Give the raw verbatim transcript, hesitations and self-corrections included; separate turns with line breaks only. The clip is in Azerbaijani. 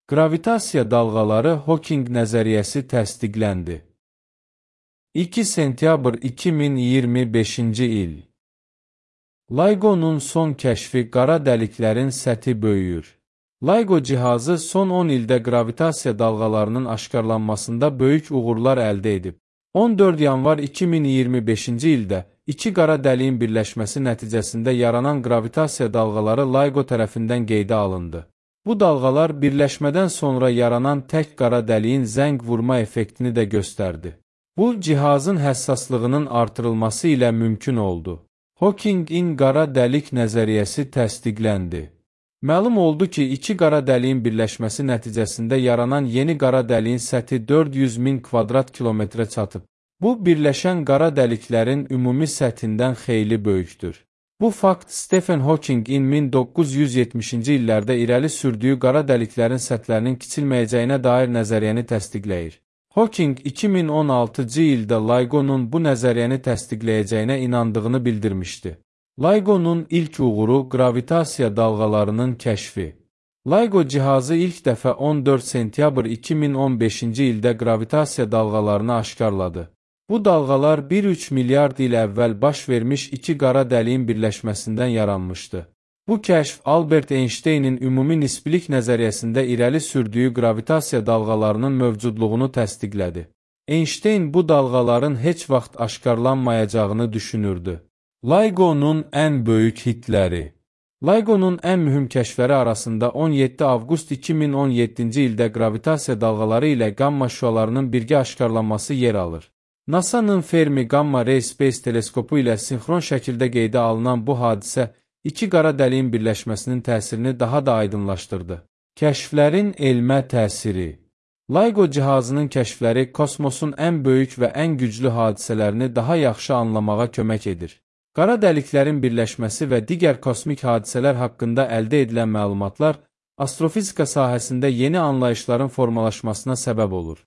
Gravitasiya dalğaları Hawking nəzəriyyəsi təsdiqləndi. iki sentyabr iki min iyirmi beşinci il. LIGO'nun son kəşfi qara dəliklərin səthi böyüyür. LIGO cihazı son on ildə gravitasiya dalğalarının aşkarlanmasında böyük uğurlar əldə edib. on dörd yanvar iki min iyirmi beşinci ildə iki qara dəliyin birləşməsi nəticəsində yaranan gravitasiya dalğaları LIGO tərəfindən qeydə alındı. Bu dalğalar birləşmədən sonra yaranan tək qara dəliyin zəng vurma effektini də göstərdi. Bu, cihazın həssaslığının artırılması ilə mümkün oldu. Hawkingin qara dəlik nəzəriyyəsi təsdiqləndi. Məlum oldu ki, iki qara dəliyin birləşməsi nəticəsində yaranan yeni qara dəliyin səthi dörd yüz min kvadrat kilometrə çatıb. Bu, birləşən qara dəliklərin ümumi səthindən xeyli böyükdür. Bu fakt Stephen Hawkingin min doqquz yüz yetmişinci illərdə irəli sürdüyü qara dəliklərin səthlərinin kiçilməyəcəyinə dair nəzəriyyəni təsdiqləyir. Hawking iki min on altıncı ildə LIGO'nun bu nəzəriyyəni təsdiqləyəcəyinə inandığını bildirmişdi. LIGO'nun ilk uğuru gravitasiya dalğalarının kəşfi. LIGO cihazı ilk dəfə on dörd sentyabr iki min on beşinci ildə gravitasiya dalğalarını aşkarladı. Bu dalğalar bir üç milyard il əvvəl baş vermiş iki qara dəliyin birləşməsindən yaranmışdı. Bu kəşf Albert Einstein'in ümumi nisbilik nəzəriyyəsində irəli sürdüyü gravitasiya dalğalarının mövcudluğunu təsdiqlədi. Einstein bu dalğaların heç vaxt aşkarlanmayacağını düşünürdü. LIGO'nun ən böyük hitləri. LIGO'nun ən mühüm kəşfləri arasında on yeddi avqust iki min on yeddinci ildə gravitasiya dalğaları ilə qamma şüalarının birgə aşkarlanması yer alır. NASA'nın Fermi Gamma Ray Space teleskopu ilə sinxron şəkildə qeydə alınan bu hadisə iki qara dəliyin birləşməsinin təsirini daha da aydınlaşdırdı. Kəşflərin elmə təsiri. LIGO cihazının kəşfləri kosmosun ən böyük və ən güclü hadisələrini daha yaxşı anlamağa kömək edir. Qara dəliklərin birləşməsi və digər kosmik hadisələr haqqında əldə edilən məlumatlar astrofizika sahəsində yeni anlayışların formalaşmasına səbəb olur.